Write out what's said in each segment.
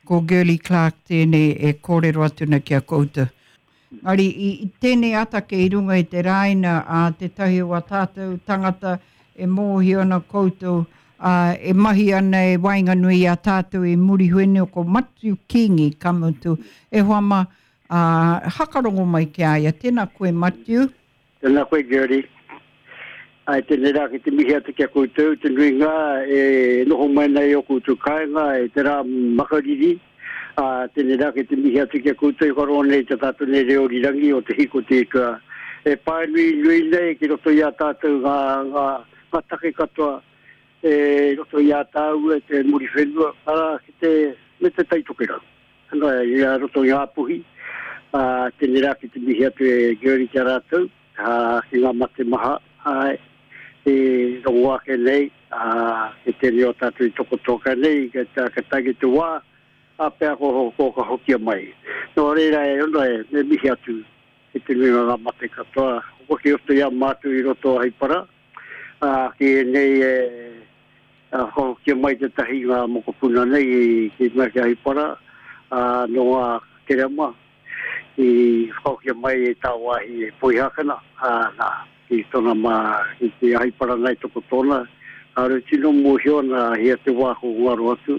Ko Girlie Clarke tēnei e kōrero atu ana ki a koutou. Engari i tēnei ata kei runga i te rāina a tētahi o a tātou tangata e mōhio ana koutou, ā, e mahi ana e waenganui i a tātou i Muriwhenua, ko Matiu Kingi, ka mutu, e hoa mā, ā, hakarongo mai ki a ia. Tēnā koe Matiu. Tēnā koe Gertie. Āe, tēnei rā ki te mihi atu ki a koutou, te nuinga e noho mai nei i ō koutou kāinga i te rā makariri, ā, tēnei rā ki te mihi atu ki a koutou i whakarongo nei i te tātou nei reo rirangi o Te Hiko Te Ika e pānui nui nei ki roto i a tātou ngā, ngā, ngā take katoa e roto i a tāua e te Muriwhenua, arā, ki te, me te Tai Tokerau. Ana, i a roto i Ngāpuhi, ā, tēnei rā ki te mihi atu e Gertie ki a rātou, ā, ki ngā mate maha, āe, i rongo ake nei, ā, ki tēnei o tātou i tokotoka nei, ka, ka tae ki te wā, ā, pea ko, ko ka hokia mai. Nō reira e ono e, me mihi atu ki te nuinga o ngā mate katoa, hoki roto i a mātou i roto o Haipara, ā, ki ēnei e, Ka whakahokia mai tētahi i ngā mokopuna nei ki runga ki Ahipara, ā, nō ngā kerema i whakahokia mai e tāwāhi e Poihākena, ā, nā, ki tōna mā, ki te Ahipara nei toko tōna, kāore tino mōhio ana hea te wā ko ngaro atu,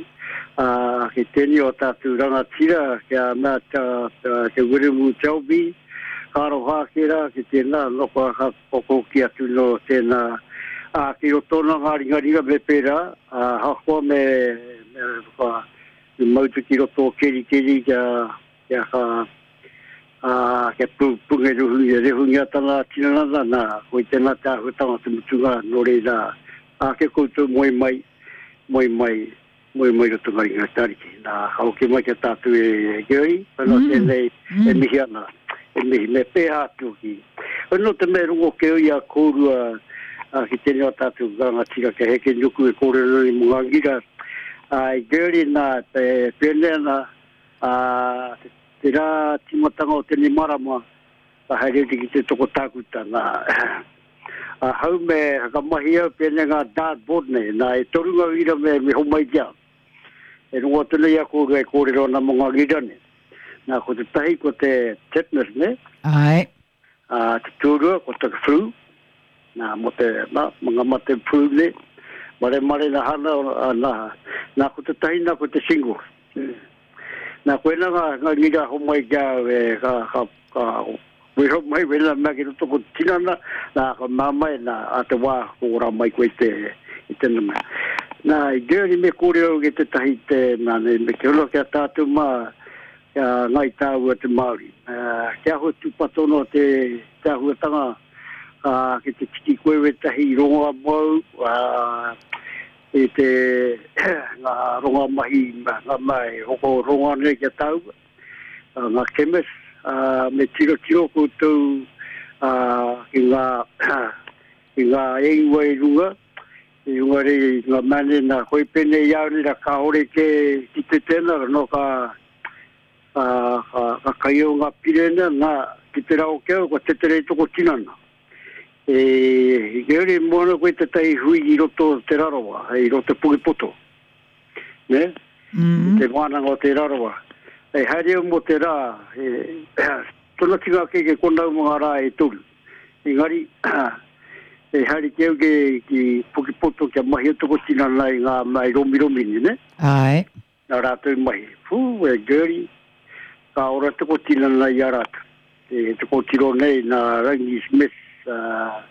ā, ki tēnei o tātou rangatira, ki a mea te Wiremu Selby, ka aroha ake rā ki tēnā, nō ka Whakahoki atu nō tēnā, ā, ki roto ana ngā ringaringa me pērā, ā, ahakoa me, me whaka, me mautu ki roto o Kerikeri kia, kia ka, ā, kia pū, pungeruhungia, rehungia tana tinana, nā, koi tēnā te āhuatanga te mutunga, nō reira, ā, kia koutou moe mai, moe mai, Moe mai roto ngā ringa te Ariki. Nā, ka hoki mai ki a tātou e Gary, whai noa tēnei e mihi ana, e mihi, me pēhā atu hoki. Whai noa te mea e rongo kē i a kōrua ki tēnei o tātou rangatira kia heke nuku e kōrero nei mō ngā ngira. Ā, Gary, nā, e pēnei ana, ā, te rā tīmatanga o tēnei marama, Ka haere atu ki te toko tākuta, nā. Ahau me whakamahi au pēnei ngā dart board nei, nā, e toru ngā wīra me, me homai ki au. E rongo atu nei a kōrua e kōrero ana mō ngā wīra nei. Nā, ko te tahi ko te tetanus, nē? Āe. Ā, te tuarua ko te flu, nā, mō te, nā, mō ngā mate flu nei. Maremare nā hana, nā, nā, ko te tahi nā ko te shingles. Nā, koinā ngā, ngā ngira homai ki a au e, ka, ka, ka weho mai wena mea ki roto ko te tinana, nā, ka mā mai, nā, a te wā, ko ora mai koe te, i tēnā mea. Nā, i Germany me kōrero au ki tētahi te, nā, nei, me te hono ki a tātou mā, ki a Ngāi Tāua te Māori. Uh, kia āhua tūpato noa te, te āhuatanga, uh, ki te tiki koe wētahi rongoa mōu, uh, i te ngā ronga mahi, ngā mea e hoko ronga nei ki a tāua, ngā chemist, me tirotiro koutou ki ngā, ki ngā ingoa i runga, i runga rei i ngā mea nei, nā, koi pēnei i au nei, nā, kāore kē ki te tēnā, nō ka, ka, ka, ka kai au ngā pire nei, nā, ki te rao ki au, kua tetere toko tinana. E, Gary, mo ana koe tetahi hui i roto o Te Rarawa, i roto Pukepoto, ne? Mm. I te wānanga o Te Rarawa. E haere au mo te rā, e, tona tinga ake ke konau mo ngā rā e toru. Engari, e haere ki au ke, ki Pukepoto kia mahi atu ko tinana i ngā mai romiromi ni, ne? Ae. Nā rātou mahi. Pū, e Gertie, ka ora te kotinana i a rātou. Te, te kōtiro nei nā Rangi Smith, uh,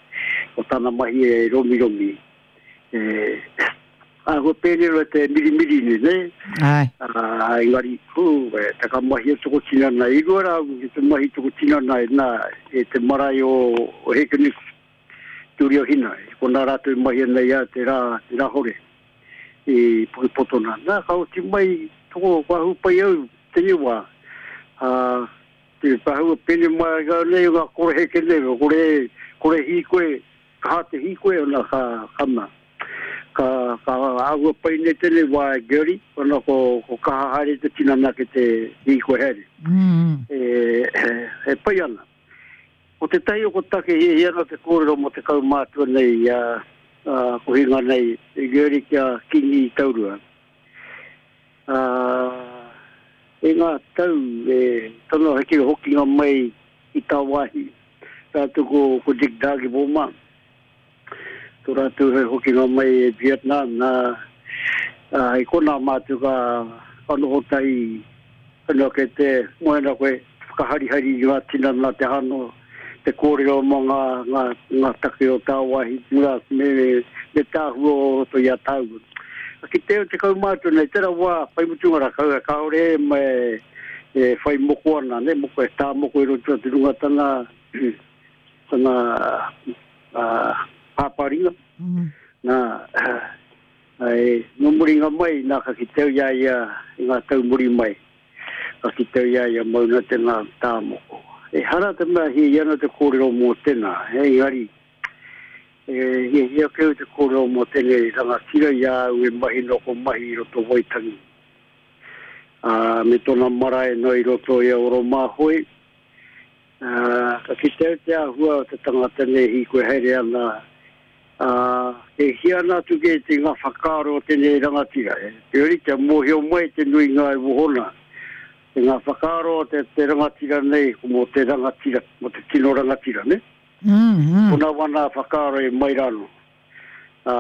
ko tana mahi e romiromi. E, āhua pēnei roa te mirimiri nei, ne? Ai. Uh, engari, pū, e, te ka mahi o toko tinana. I rua rā ki te mahi toko tinana e nā, e te marae o, o Hekenuku, Turi o Hina. I konā rātou i mahi ana i a te rā, te rā hore. I Pukepoto nā. Nā, ka oti mai, toko, kua hūpai au tēnei wā. Ā, te pahua pene mai au nei o ngā koroheke nei, kore, kore hīkoe, kaha te hīkoe, ona ka, ka mā. Ka, ka āhua pai nei tēnei wā e Gertie, ona ko, ko kaha haere te tinana ki te hīkoe haere. Mm. E, e pai ana. Ko tētahi o ko take hiahia ana te kōrero mō te kaumātua nei, a, a kohinga nei, i Gertie ki a Kingi Taurua. Ā, E ngā tau e tana heke hokinga mai i tāwāhi rātou ko, ko Dick Dargiville mā. Tō rātou he hokinga mai e Vietnam, nā, ā, i konā mātou ka, ka noho tahi, whenua kei te moe ana koe, whakaharihari i ngā tinana te hano, te kōrero mō ngā, ngā, ngā take o tāwāhi, ngā, me, me tāhua o roto i a tāua. Ki te, te kaumātua nei, tērā wā, whai mutunga rā, kau, kāore e, me, e whai moko ana, ne, moko e tā moko i roto te runga tana, tana pāpāringa. Nā, e, nō muringa mai, nā ka kite au i a ia i ngā tau muri mai. Ka kite au i a ia mauna tēnā tāmoko. Ehara te mea hiahia ana te kōrero mō tēnā, engari, e hiahia ake au te kōrero mō tēnei rangatira i a au e mahi noa ko mahi i roto Waitangi. Ā, me tōna marae noa i roto i a Oromāhoe, Ā, ka kite au te āhua o te tangata nei hīkoi haere ana, ā, e hia ana atu kē te ngā whakaaro o tēnei rangatira. Heoi, kia mōhio mai te nuinga e wohona, te ngā whakaaro o te, te rangatira nei, ko mō te rangatira, mō te tino rangatira, nē? Mm, mm. Kona wana whakaaro e mai rānō. Ā,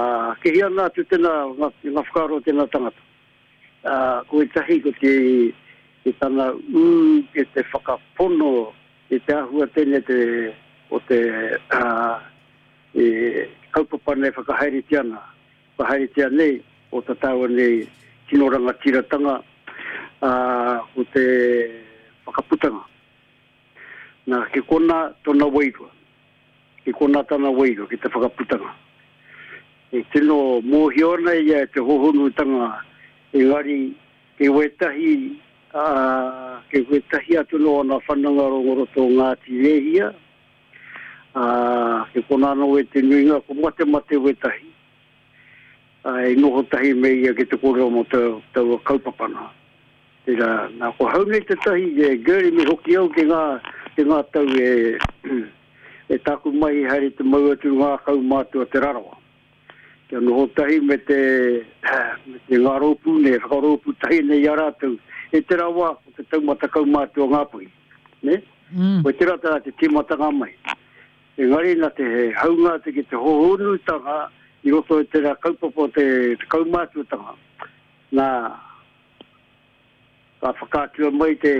ke hia ana atu tēnā, ngā, ngā whakaaro o tēnā tangata. Ā, ko ētahi ko te, te tana ū ki te whakapono i te āhua tēnei te, o te, ā, e kaupapa nei whakahaeretia ana, whakahaeretia nei o ta tāua nei tino rangatiratanga, ā, ko te whakaputanga. Nā, ki konā tōna wairua. Ki konā tana wairua, ki te whakaputanga. E tino mōhio ana ia e te hōhonutanga, engari kei wētahi, ā, kei wētahi atu nō ana whanonga rongo roto o Ngāti Rēhia, ā, ki konā anō e te nuinga, ko matemate wētahi, ā, e noho tahi me ia ki te kōrero mō taua kaupapa nā. Tērā, nā, ko hau nei tētahi, e Gertie me hoki au ki ngā, ki ngā tau e, e tāku mahi haere te mau atu ngā kaumātua Te Rarawa. Kia noho tahi me te, me te ngā rōpū nei, whakarōpū tahi nei i a rātou. E tērā wā, ko te taumata kaumātua Ngāpuhi, ne? Mm. Ko tērā tērā te tīmatanga mai. Engari nā te haunga atu ki te hohonutanga i roto i tērā kaupapa o te, te kaumātuatanga, nā, Ka whakaatua mai te,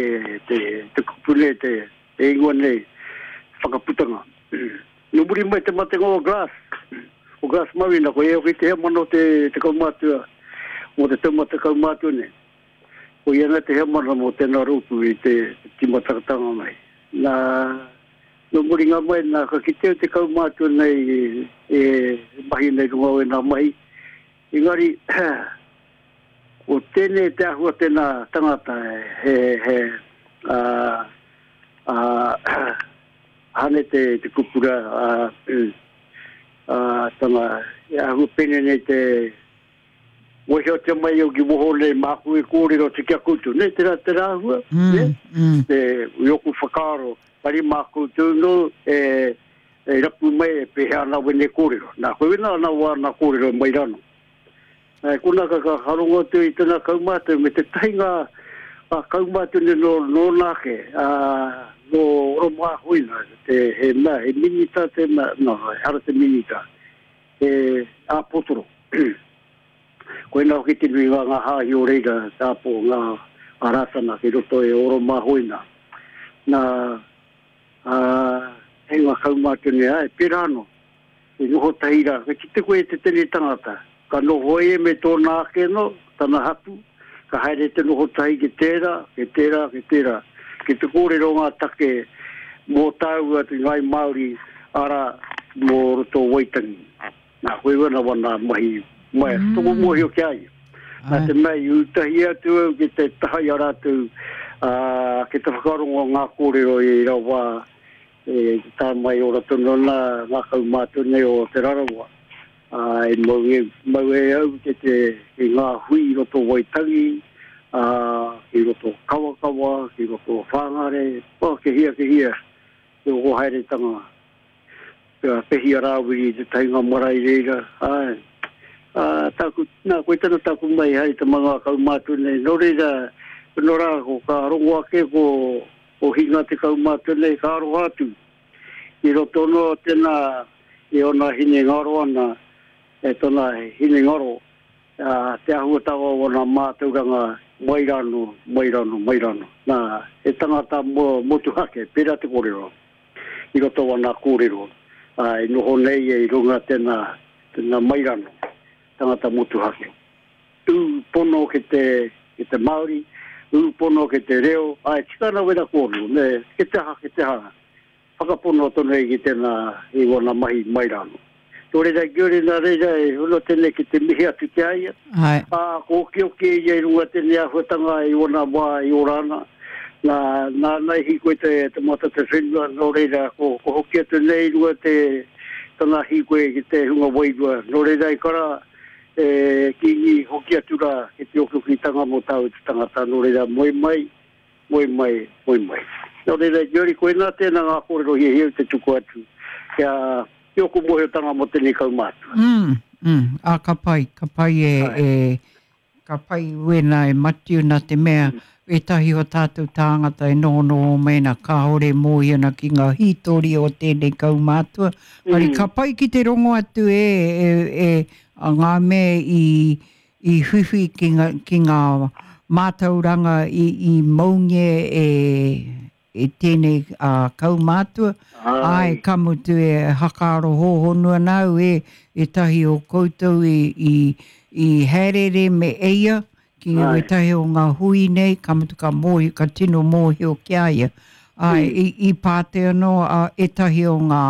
te, te kupu nei, te, te ingoa nei, whakaputanga. Nō muri mai te matenga o Glass, o Glass Marina, ko ia hoki te heamana o te, te kaumātua, mō te taumata kaumātua nei. Ko ia nei te heamana mō tēnā rōpū i te, te tīmatatanga mai. Nā, nō muringa mai, nā, ka kitea te kaumātua nei e, e mahi nei runga o ēnā mahi. Engari, Ko tēnei te āhua tēnā tangata he, he, ā, ā, hane te, te kupu rā, ā, ā, tana, e āhua pēnei nei te mōhiotia mai au ki woho nei māku e kōrero atu ki a koutou, nē, tērā, tērā āhua, mm, nē, mm. te, i oku whakaaro, pari mā koutou nō, e, e rapu mai e pēhea ana wene kōrero. Nā, koe wena ana wāna kōrero mai rano. E kona ka ka rongo atu i tana kaumātua me tētahi ngā ngā kaumātua nei nō nōna ake, ā, nō Oromāhoina, te, he mea, he minita te mea, no, ehara te minita, he āpotoro. Koinā hoki te nuinga ngā hāhi o reira, te āpo, ngā, ngā Rātana ki roto e Oromāhoina. Nā, ā, hei ngā kaumātua nei, āe, pērā anō. I noho tahi rā, ka kite koe i te tini tangata, ka noho ia me tōna ake anō, tana hapū, ka haere te noho tahi ki tērā, ki tērā, ki tērā, ki te kōrero ngā take mō tāua te Ngāi Māori, arā, mō roto o Waitangi. Nā, koe wana wana mahi mai, mm. toko mōhio ki a ia. Nā te mea i ūtahi atu au ki te taha i a rātou, ā, ki te whakarongo ngā kōrero i rawa, E tae mai ora tonu ana ngā kaumātua nei o Te Rarawa, ā, e mau e, mau e au ki te, ki ngā hui i roto o Waitangi, ā, ki roto o Kawakawa, ki roto o Whāngārei, oh, ke hia, ke hia, te oho haeretanga. Kia pehi a Rāwiri i te tahinga marae i reira, āe. Ā, tāku, nā, koe tana tāku mai haere te manga kaumātua nei, nō reira, Nō rā, ko ka rongo ake ko, ko Hinga te kaumātua nei, ka aroha atu. I roto anō tēnā i ōna hinengaro ana, e tōna hinengaro, ā, te āhuatanga o ōna mātauranga mai rānō, mai rānō, mai rānō. Nā, he tangata motuhake, pērā te kōrero, i roto o ana kōrero, ā, e noho nei ia i runga tēnā, tēnā mai rānō, tangata motuhake. Ū pono ki te, ki te Māori, ū pono ki te reo, āe, tika ana wera kōrero, me, ki te aha, ki te aha, whakapono tonu ai ki tēnā, i wana mahi mai rānō. Nō reira, Guri, nā reira, e hono tēnei ki te mihi atu ki a ia, Āe. ā, ko okioki ia i runga tēnei āhuatanga i wana wā i ora ana, nā, nāna i hīkoi te, te mata te whenua, nō reira, ko, ko hoki atu nei i runga te, tana hīkoi ki te hunga wairua, nō reira, e kara, E Kīngi, hoki atu rā ki te okiokitanga mō tāu te tangata, nō reira, moe mai, moe mai, moe mai. Nō reira, Jody, koinā tēnā ngā kōrero hiahia au te tuku atu kia, ki ōku mōhiotanga mō tēnei kaumātua. Mm, mm, ā, ka pai, ka pai e, e, ka pai wēnā e Matiu nā te mea, ētahi o tātou tāngata e nohonoho mai ana kāore e mōhio ana ki ngā hītori o tēnei kaumātua. Engari ka pai ki te rongo atu e, e, e, a ngā mea i, i whiwhi ki ngā, ki ngā mātauranga i, i maungia e, e tēnei a kaumātua. Āe, ka mutu e hakaaro hōhonu ana au e ētahi o koutou i, i, i haereere me eia ki wētahi o ngā hui nei, ka mutu ka mōhio, ka tino mōhio ki a ia. Āe, i, i pātai anō a ētahi o ngā,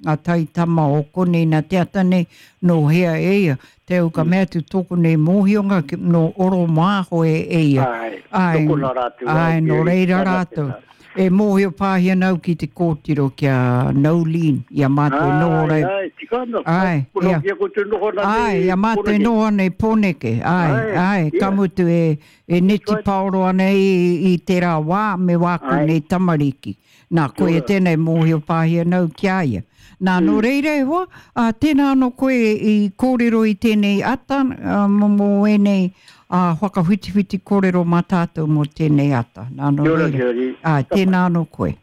ngā taitama o konei nā te ata nei, nō hea e ia? Te au ka mea atu tōku nei mōhionga ki, nō Oromāhoe e ia. Āe, Āe, tokona rātou, āe, āe, nō reira rātou. E mōhio pāhi ana au ki te kōtiro ki a Noeline, i a mātou e noho rei. Āe, āe, tika ana. Āe, ia. Ki a koutou noho ana nei. Āe, i a mātou e noho ana i Pōneke. Āe, āe, ka mutu e, e neti paoro ana i, i tērā wā me wāku nei tamariki. Nā, koia tēnei mōhio pāhi ana au ki a ia. Nā, nō reira e hoa, ā, tēnā anō koe i kōrero i tēnei ata, mō, mō ēnei, ā, whakawhitiwhiti kōrero mā tātou mō tēnei ata. Nā, nō reira, āe, tēnā anō koe.